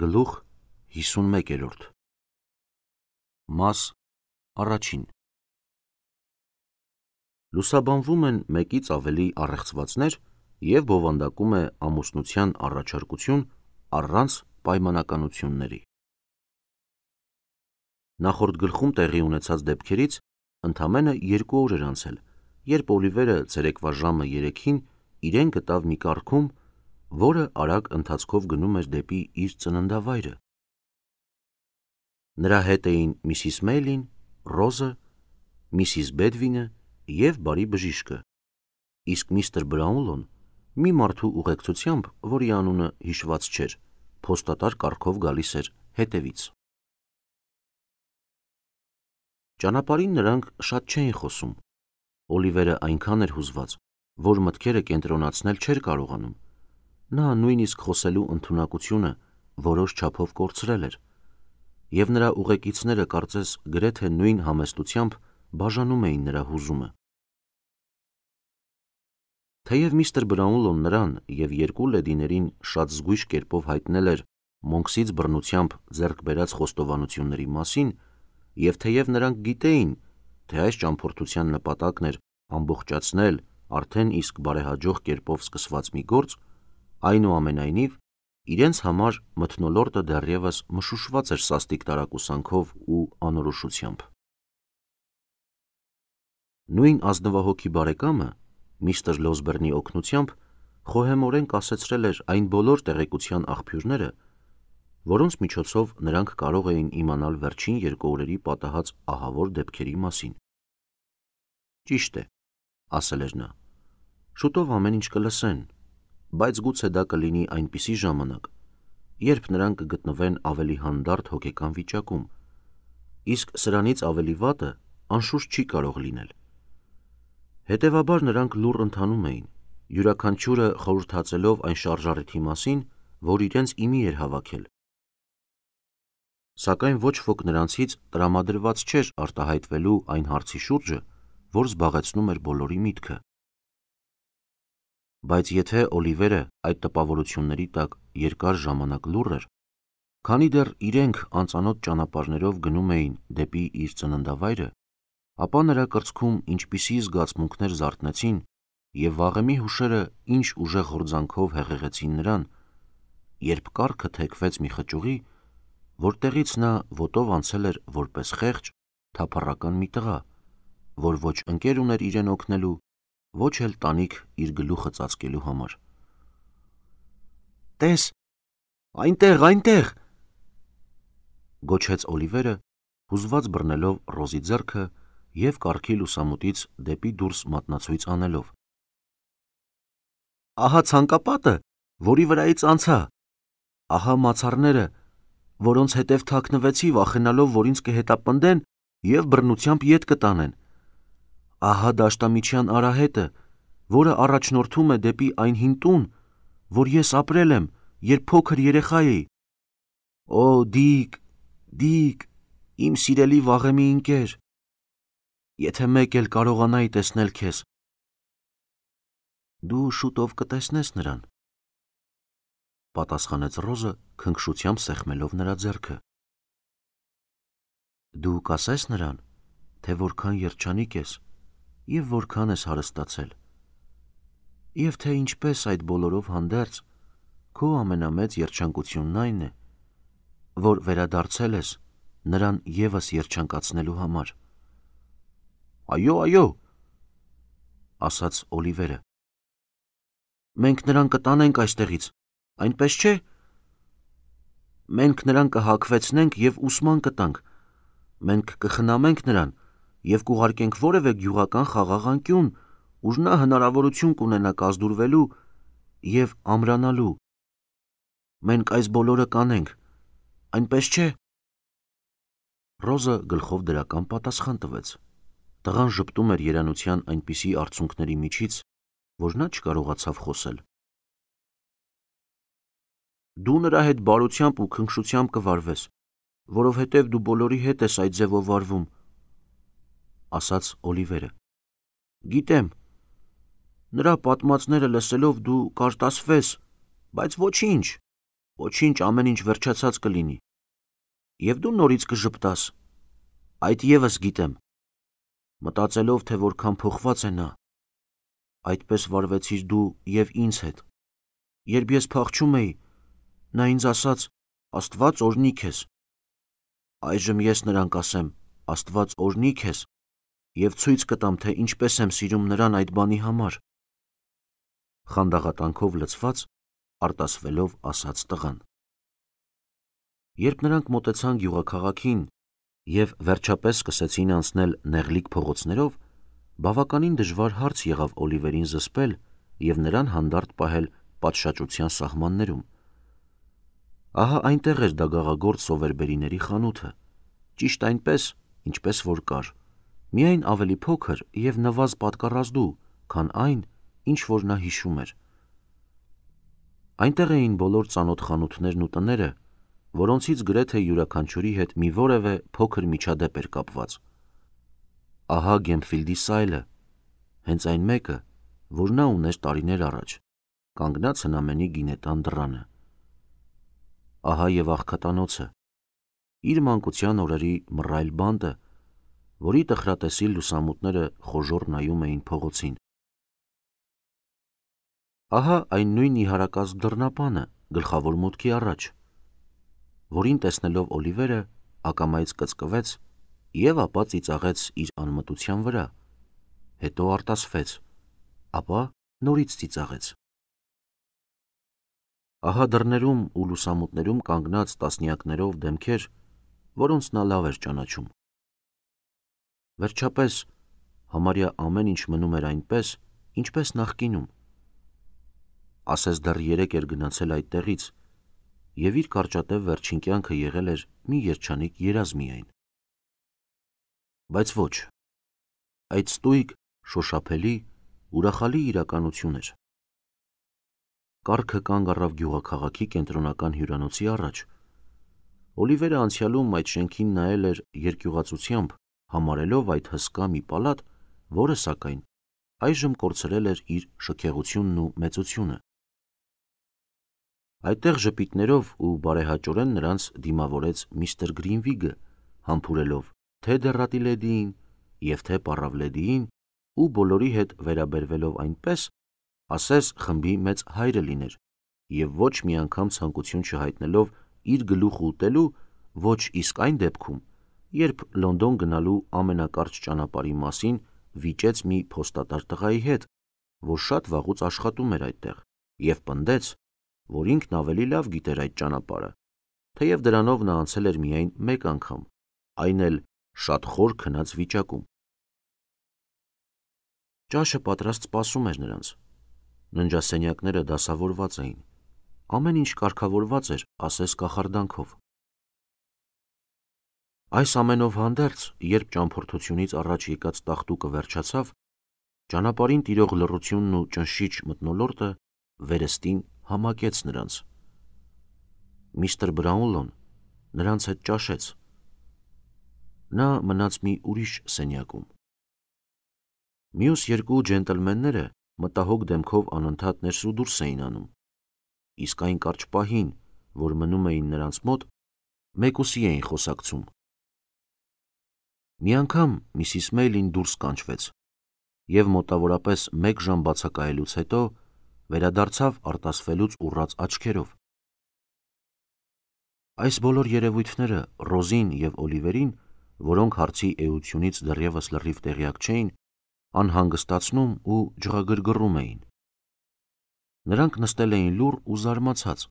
Գլուխ 51 Մաս առաջին Լուսաբանվում են մեկից ավելի առեղծվածներ և բովանդակում է ամուսնության առաջարկություն առանց պայմանականությունների։ Նախորդ գլխում տեղի ունեցած դեպքերից ընդամենը 2 օր էր անցել, երբ Օլիվերը ցերեկվա ժամը 3-ին իրեն գտավ մի կառքում, որը արագ ընթացքով գնում էր դեպի իր ծննդավայրը։ Նրա հետ էին Միսիս Մեյլին, Ռոզը, Միսիս Բեդվինը և բարի բժիշկը, իսկ միստր Բրաունլոն մի մարդու ուղեկցությամբ, որի անունը հիշված չէր, փոստատար կառքով գալիս էր հետևից։ Ճանապարհին նրանք շատ չէին խոսում։ Օլիվերը այնքան էր հուզված, որ մտքերը կենտրոնացնել չէր կարողանում։ Նա նույնիսկ խոսելու ընդունակությունը որոշ չափով կորցրել էր, և նրա ուղեկիցները կարծես գրեթե նույն համեստությամբ բաժանում էին նրա հուզումը։ Թեև միստր Բրաունլոն նրան և 2 լեդիներին շատ զգույշ կերպով հայտնել էր Մոնքսից բռնությամբ ձեռք բերած խոստովանությունների մասին, և թեև նրանք գիտեին, թե այս ճամփորդության նպատակն էր ամբողջացնել արդեն իսկ բարեհաջող կերպով սկսված մի գործ, այնուամենայնիվ, իրենց համար մթնոլորտը դեռևս մշուշված էր սաստիկ տարակուսանքով ու անորոշությամբ։ Նույն ազնվահոգի բարեկամը միստր Լոսբերնի օգնությամբ խոհեմորեն կասեցրել էր այն բոլոր տեղեկության աղբյուրները, որոնց միջոցով նրանք կարող էին իմանալ վերջին 2 օրերի պատահած ահավոր դեպքերի մասին։ Ճիշտ է, ասել էր նա, շուտով ամեն ինչ կլսեն, բայց գուցե դա կլինի այնպիսի ժամանակ, երբ նրանք կգտնվեն ավելի հանդարտ հոգեկան վիճակում, իսկ սրանից ավելի վատը անշուշտ չի կարող լինել։ Հետևաբար նրանք լուռ ընթանում էին, յուրաքանչյուրը խորհրդածելով այն շարժառիթի մասին, որ իրենց իմի էր հավաքել։ Սակայն ոչ ոք նրանցից տրամադրված չէր արտահայտվելու այն հարցի շուրջը, որ զբաղեցնում էր բոլորի միտքը։ Բայց եթե Օլիվերը այդ տպավորությունների տակ երկար ժամանակ լուռ էր, քանի դեռ իրենք անծանոթ ճանապարհներով գնում էին դեպի իր ծննդավայրը, ապա նրա կրծքում ինչպիսի զգացմունքներ զարթնեցին և վաղեմի հուշերը ինչ ուժեղ հորձանքով հեղեղեցին նրան, երբ կառքը թեքվեց մի խճուղի, որտեղից նա ոտով անցել էր որպես խեղճ, թափառական մի տղա, որ ոչ ընկեր ուներ իրեն օգնելու, ոչ էլ տանիք իր գլուխը ծածկելու համար։ «Տես, այնտեղ, այնտեղ», գոչեց Օլիվերը, հուզված բռնելով Ռոզի ձեռքը և կառքի լուսամուտից դեպի դուրս մատնացույց անելով։ «Ահա ցանկապատը, որի վրայից անցա, ահա մացառները, որոնց հետև թաքնվեցի, վախենալով, որ ինձ կհետապնդեն և բռնությամբ ետ կտանեն, ահա դաշտամիջյան արահետը, որը առաջնորդում է դեպի այն հին տուն, որ ես ապրել եմ, երբ փոքր երեխա էի։ Օ, Դիկ, Դիկ, իմ սիրելի վաղեմի ընկեր, եթե մեկ էլ կարողանայի տեսնել քեզ»։ «Դու շուտով կտեսնես նրան», պատասխանեց Ռոզը քնքշությամբ սեղմելով նրա ձեռքը։ «Դու կասես նրան, թե որքան երջանիկ ես և որքան ես հարստացել, և թե ինչպես այդ բոլորով հանդերձ քո ամենամեծ երջանկությունն այն է, որ վերադարձել ես նրան ևս երջանկացնելու համար»։ «Այո, այո», ասաց Օլիվերը։ «Մենք նրան կտանենք այստեղից, այնպես չէ՞։ Մենք նրան կհագվեցնենք և ուսման կտանք, մենք կխնամենք նրան և կուղարկենք որևէ գյուղական խաղաղ անկյուն, ուր նա հնարավորություն կունենա կազդուրվելու և ամրանալու։ Մենք այս բոլորը կանենք, այնպես չէ՞։ Ռոզը գլխով դրական պատասխան տվեց։ Տղան ժպտում էր երանության այնպիսի արցունքների միջից, որ նա չկարողացավ խոսել։ «Դու նրա հետ բարությամբ ու քնքշությամբ կվարվես, որովհետև դու բոլորի հետ ես այդ ձևով վարվում», ասաց Օլիվերը։ «Գիտեմ, նրա պատմածները լսելով դու կարտասվես, բայց ոչինչ, Ոչինչ, ամեն ինչ վերջացած կլինի։ Եվ դու նորից կժպտաս։ Այդ եւս գիտեմ։ Մտածելով, թե որքան փոխված է նա։ Այդպես վարվեցիր դու եւ ինձ հետ։ Երբ ես փախչում էի, նա ինձ ասաց. Աստված օրհնի քեզ։ Այժմ ես նրան կասեմ. Աստված օրհնի քեզ, եւ ցույց կտամ, թե ինչպես եմ սիրում նրան այդ բանի համար։ Խանդաղատանքով լցված, արտասվելով ասաց տղան։ Երբ նրանք մոտեցան գյուղաքաղաքին եւ վերջապես սկսեցին անցնել նեղլիկ փողոցներով, բավականին դժվար հարց եղավ Օլիվերին զսպել եւ նրան հանդարտ պահել պատշաճության սահմաններում։ Ահա այնտեղ էր դագաղագործ սովերբերիների խանութը, ճիշտ այնպես, ինչպես որ կար, միայն ավելի փոքր եւ նվազ պատկառազդու, քան այն, ինչ որ նա հիշում էր։ Այնտեղ էին բոլոր ծանոթ խանութներն ու տները, որոնցից գրեթե յուրաքանչյուրի հետ մի որևէ փոքր միջադեպ էր կապված։ Ահա Գեմֆիլդի սայլը, հենց այն մեկը, որ նա ուներ տարիներ առաջ, կանգնած հնամենի գինետան դռանը։ Ահա եւ աղքատանոցը, իր մանկության օրերի մռայլ բանտը, որի տխրատեսիլ լուսամուտները խոժոռ նայում էին փողոցին։ Ահա այն նույն իհարակազմ դռնապանը գլխավոր մուտքի առաջ, որին տեսնելով Օլիվերը ակամայից կծկվեց եւ ապա ծիծաղեց իր անմտության վրա, հետո արտասվեց, ապա նորից ծիծաղեց։ Ահա դռներում ու լուսամուտներում կանգնած տասնյակներով դեմքեր, որոնց նա լավ էր ճանաչում։ Վերջապես, համարյա ամեն ինչ մնում էր այնպես, ինչպես նախկինում։ Ասես դեռ 3 էր գնացել այդտեղից, եւ իր կարճատև վերջին կյանքը եղել էր մի երջանիկ երազ միայն։ Բայց ոչ, այդ ստույգ, շոշափելի, ուրախալի իրականություն էր։ Կառքը կանգ առավ գյուղաքաղաքի կենտրոնական հյուրանոցի առաջ։ Օլիվերը անցյալում այդ շենքին նայել էր երկյուղացությամբ, համարելով այդ հսկա մի պալատ, որը սակայն այժմ կորցրել էր իր շքեղությունն ու մեծությունը։ Այդտեղ ժպիտներով ու բարեհաճորեն նրանց դիմավորեց միստր Գրինվիգը, համբուրելով թե դեռատի լեդիին եւ թե պառավ լեդիին ու բոլորի հետ վերաբերվելով այնպես, ասես խմբի մեծ հայրը լիներ եւ ոչ մի անգամ ցանկություն չհայտնելով իր գլուխը ուտելու, ոչ իսկ այն դեպքում, երբ Լոնդոն գնալու ամենակարճ ճանապարհի մասին վիճեց մի փոստատար տղայի հետ, որ շատ վաղուց աշխատում էր այդտեղ, եւ պնդեց, որ ինքն ավելի լավ գիտեր այդ ճանապարհը, թեև դրանով նա անցել էր միայն մեկ անգամ, այն էլ շատ խոր քնած վիճակում։ Ճաշը պատրաստ սպասում էր նրանց։ Ննջասենյակները դասավորված էին, ամեն ինչ կարգավորված էր, ասես կախարդանքով։ Այս ամենով հանդերձ, երբ ճամփորդությունից առաջ եկած տաղտուկը վերջացավ, ճանապարհին տիրող լռությունն ու ճնշիչ մթնոլորտը վերստին համակեց նրանց։ Միստր Բրաունլոն նրանց հետ ճաշեց։ Նա մնաց մի ուրիշ սենյակում։ Մյուս երկու ջենտլմենները մտահոգ դեմքով անընդհատ ներս ու դուրս էին անում, իսկ այն կարճ պահին, որ մնում էին նրանց մոտ, մեկուսի էին խոսակցում։ Մի անգամ Միսիս Մեյլին դուրս կանչվեց եւ մոտավորապես 1 ժամ բացակայելուց հետո վերադարձավ արտասվելուց ուռած աչքերով։ Այս բոլոր երևույթները Ռոզին եւ Օլիվերին, որոնք հարցի էությունից դեռևս լրիվ տեղյակ չէին, անհանգստացնում ու ջղագրգռում էին։ Նրանք նստել էին լուռ ու զարմացած,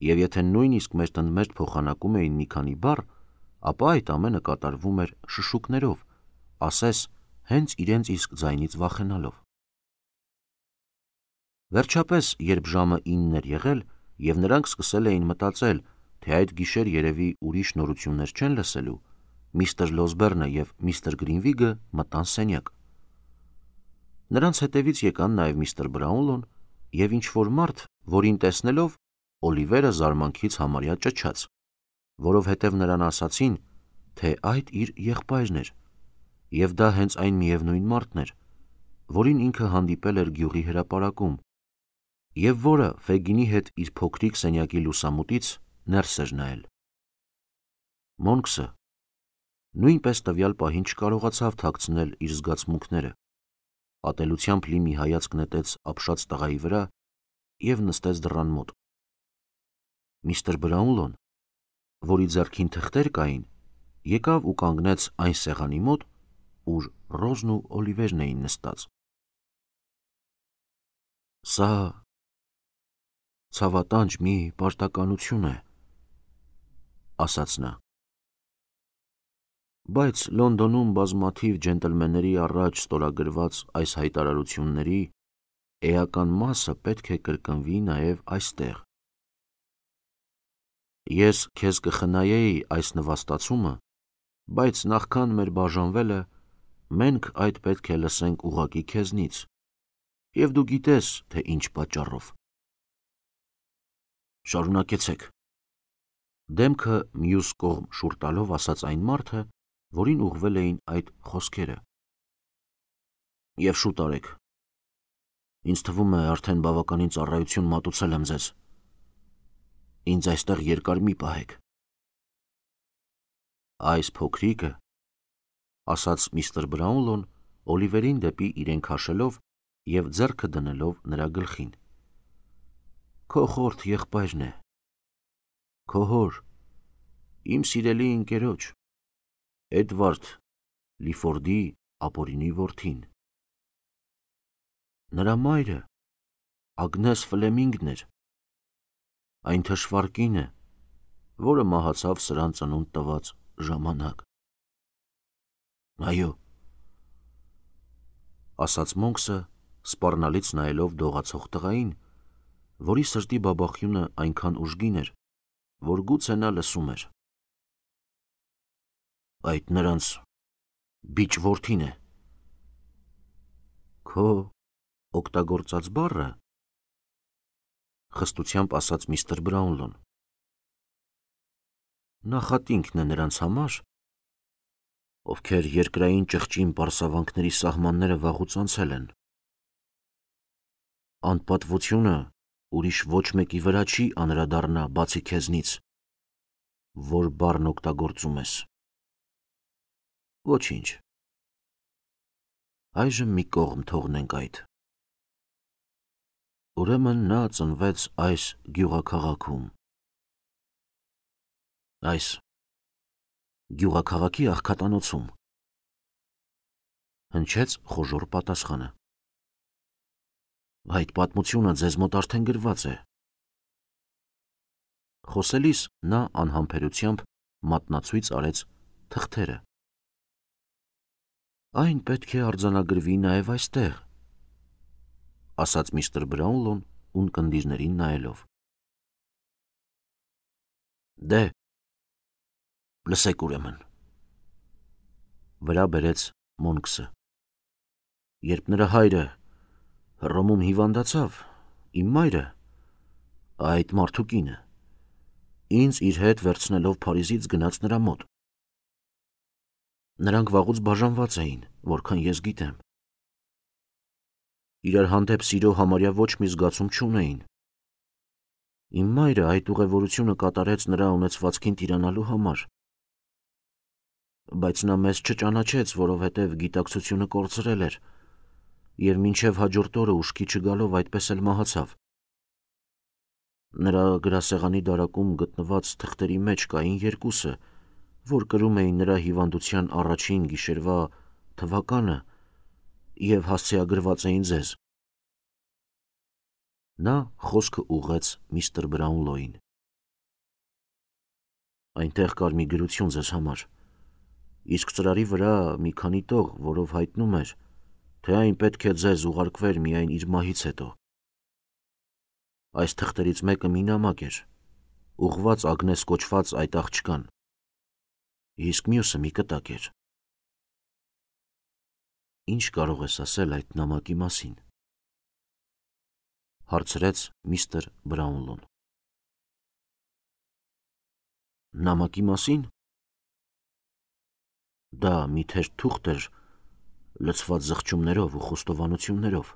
եւ եթե նույնիսկ մերթ փոխանակում էին մի քանի բառ, ապա այդ ամենը կատարվում էր շշուկներով, ասես հենց իրենց իսկ ձայնից վախենալով։ Վերջապես, երբ ժամը 9 էր եղել եւ նրանք սկսել էին մտածել, թե այդ գիշեր երևի ուրիշ նորություններ չեն լսելու, միստր Լոսբերնը եւ միստր Գրինվիգը մտան սենյակ։ Նրանց հետևից եկան նաեւ միստր Բրաունլոն եւ ինչ-որ մարդ, որին տեսնելով Օլիվերը զարմանքից համարյա ճչաց, որովհետև նրան ասացին, թե այդ իր եղբայրն էր, եւ դա հենց այն միևնույն մարդն էր, որին ինքը հանդիպել էր գյուղի հրապարակում, և որը Ֆեգինի հետ իր փոքրիկ սենյակի լուսամուտից ներս էր նայել։ Մոնքսը նույնպես տվյալ պահին չկարողացավ թաքցնել իր զգացմունքները, ատելությամբ լի մի հայացք նետեց ապշած տղայի վրա և նստեց դռան մոտ։ Միսթր Բրաունլոն, որի ձեռքին թղթեր կային, եկավ ու կանգնեց այն սեղանի մոտ, ուր Ռոզն ու Օլիվերն էին նստած։ «Սա ցավատանջ մի պարտականություն է», ասաց նա։ Բայց Լոնդոնում բազմաթիվ ջենտլմենների առաջ ստորագրված այս հայտարարությունների էական մասը պետք է կրկնվի նաև այստեղ։ Ես քեզ կխնայեի այս նվաստացումը, բայց նախքան մեր բաժանվելը, մենք այդ պետք է լսենք ուղղակի քեզնից, և դու գիտես, թե ինչ պատճառով։ Շարունակեցեք, դեմքը մյուս կողմ շուռ տալով ասաց այն մարդը, որին ուղղվել էին այդ խոսքերը։ Եվ շուտ արեք։ Ինձ թվում է, արդեն բավականին ծառայություն մատուցել եմ ձեզ։ Ինձ այստեղ երկար մի պահեք։ Այս փոքրիկը, ասաց միստր Բրաունլոն Օլիվերին դեպի իրեն քաշելով և ձեռքը դնելով նրա գլխին, քո խորթ եղբայրն է, քո հոր, իմ սիրելի ընկերոջ, Էդվարդ Լիֆորդի ապօրինի որդին։ Նրա մայրը Ագնես Ֆլեմինգն էր, այն թշվառ կինը, որը մահացավ սրան ծնունդ տված ժամանակ։ Այո, ասաց Մոնքսը, սպառնալից նայելով դողացող տղային, որի սրտի բաբախյունը այնքան ուժգին էր, որ գուցե նա լսում էր։ Այդ նրանց բիճ որդին է։ Քո օգտագործած բառը, խստությամբ ասաց միստր Բրաունլոն, նախատինքն է նրանց համար, ովքեր երկրային ճղճին պարսավանքների սահմանները վաղուց անցել են։ Անպատվությունը ուրիշ ոչ մեկի վրա չի անդրադառնա, բացի քեզնից, որ բառն օգտագործում ես։ Ոչինչ։ Այժմ մի կողմ թողնենք այդ։ Ուրեմն նա ծնվեց այս գյուղաքաղաքում։ Այս գյուղաքաղաքի աղքատանոցում։ Հնչեց խոժոռ պատասխանը։ Այդ պատմությունը ձեզ մոտ արդեն գրված է։ Խոսելիս նա անհամբերությամբ մատնացույց արեց թղթերը։ Այն պետք է արձանագրվի նաև այստեղ, ասաց միստր Բրաունլոն ունկնդիրներին նայելով։ Դե, լսեք ուրեմն, վրա բերեց Մոնքսը։ Երբ նրա հայրը Հռոմում հիվանդացավ, իմ մայրը, այդ մարդու կինը, ինձ իր հետ վերցնելով Փարիզից գնաց նրա մոտ։ Նրանք վաղուց բաժանված էին, որքան ես գիտեմ։ Իրար հանդեպ սիրո համարյա ոչ մի զգացում չունեին։ Իմ մայրը այդ ուղևորությունը կատարեց նրա ունեցվածքին տիրանալու համար։ Բայց նա մեզ չճանաչեց, որովհետև գիտակցությունը կորցրել էր, և մինչև հաջորդ օրը ուշքի չգալով այդպես էլ մահացավ։ Նրա գրասեղանի դարակում գտնված թղթերի մեջ կային երկուսը, որ կրում էին նրա հիվանդության առաջին գիշերվա թվականը և հասցեագրված էին ձեզ։ Նա խոսքը ուղղեց միստր Բրաունլոյին։ Այնտեղ կար մի գրություն ձեզ համար, իսկ ծրարի վրա մի քանի տող, որով հայտնում էր, թե այն պետք է ձեզ ուղարկվեր միայն իր մահից հետո։ Այս թղթերից մեկը մի նամակ էր, ուղղված Ագնես կոչված այդ աղջկան, իսկ մյուսը մի կտակ էր։ Ինչ կարող ես ասել այդ նամակի մասին, հարցրեց միստր Բրաունլոն։ Նամակի մասին։ Դա մի թերթ թուղթ էր, լցված զղջումներով ու խոստովանություններով,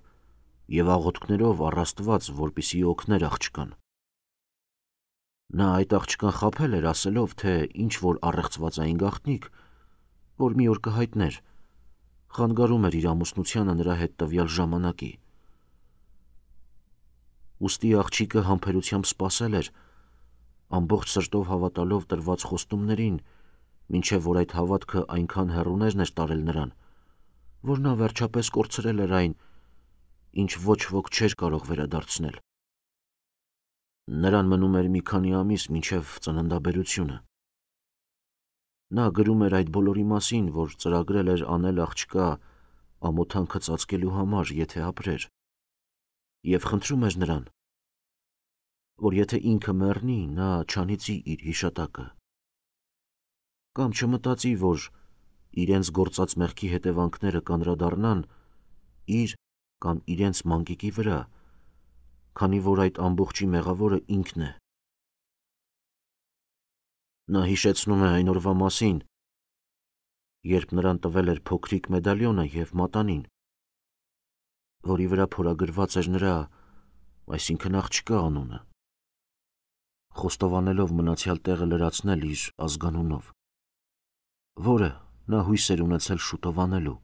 և աղոթքներով առաստված, որպեսզի օգներ աղջկան։ Նա այդ աղջկան խաբել էր, ասելով, թե ինչ որ առեղծվածային գաղտնիք, որ մի օր կհայտներ, խանգարում էր իր ամուսնությանը նրա հետ տվյալ ժամանակի։ Ուստի աղջիկը համբերությամբ սպասել էր, ամբողջ սրտով հավատալով տրված խոստումներին, մինչև որ այդ հավատքը այնքան հեռուներն էր տարել նրան, որ նա վերջապես կորցրել էր այն, ինչ ոչ ոք չէր կարող վերադարձնել։ Նրան մնում էր մի քանի ամիս մինչև ծննդաբերությունը։ Նա գրում էր այդ բոլորի մասին, որ ծրագրել էր անել աղջկա ամոթանքը ծածկելու համար, եթե ապրեր, և խնդրում էր նրան, որ եթե ինքը մեռնի, նա չանիծի իր հիշատակը, կամ չմտածի, որ իրենց գործած մեղքի հետևանքները կանրադառնան իր կամ իրենց մանկիկի վրա, քանի որ այդ ամբողջի մեղավորը ինքն է։ Նա հիշեցնում է այն օրվա մասին, երբ նրան տվել էր փոքրիկ մեդալյոնը և մատանին, որի վրա փորագրված էր նրա, այսինքն աղջկա անունը, խոստովանելով մնացյալ տեղը լրացնել իր ազգանունով, որը նա հույս էր ունեցել շուտով անելու,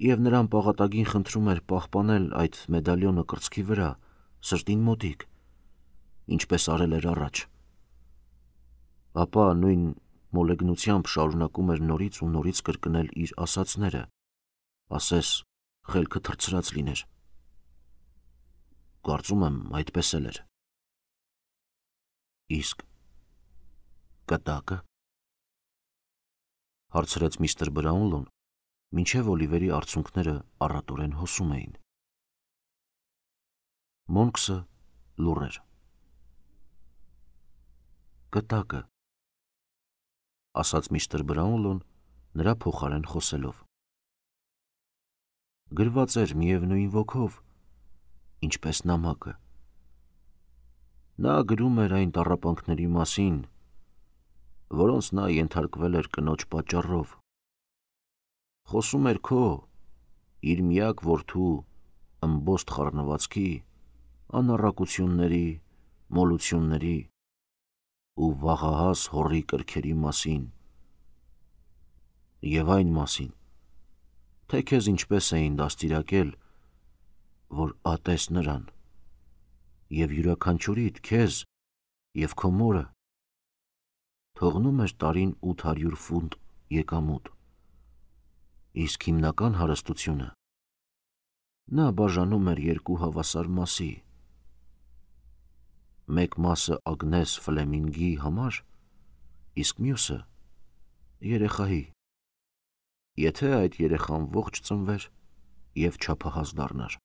և նրան պաղատագին խնդրում էր պահպանել այդ մեդալյոնը կրծքի վրա, սրտին մոտիկ, ինչպես արել էր առաջ, ապա նույն մոլեգնությամբ շարունակում էր նորից ու նորից կրկնել իր ասածները, ասես խելքը թռցրած լիներ։ Կարծում եմ, այդպես էլ էր։ Իսկ կտակը, հարցրեց միստր Բրաունլոն, մինչև Օլիվերի արցունքները առատորեն հոսում էին։ Մոնքսը լուռ էր։ Կտակը, ասաց միստր Բրաունլոն, նրա փոխարեն խոսելով։ Գրված էր միևնույն ոգով, ինչպես նամակը։ Նա գրում էր այն տառապանքների մասին, որոնց նա ենթարկվել էր կնոջ պատճառով։ Խոսում էր քո, իր միակ որդու ըմբոստ խառնվածքի, անառակությունների, մոլությունների ու վաղահաս հորի կրքերի մասին և այն մասին, թե քեզ ինչպես էին դաստիարակել, որ ատես նրան, և յուրաքանչյուրիդ քեզ և քո մորը թողնում էր տարին 800 ֆունտ եկամուտ, իսկ հիմնական հարստությունը նա բաժանում էր երկու հավասար մասի, մեկ մասը Ագնես Ֆլեմինգի համար, իսկ մյուսը երեխայի, եթե այդ երեխան ողջ ծնվեր և չափահաս դառնար։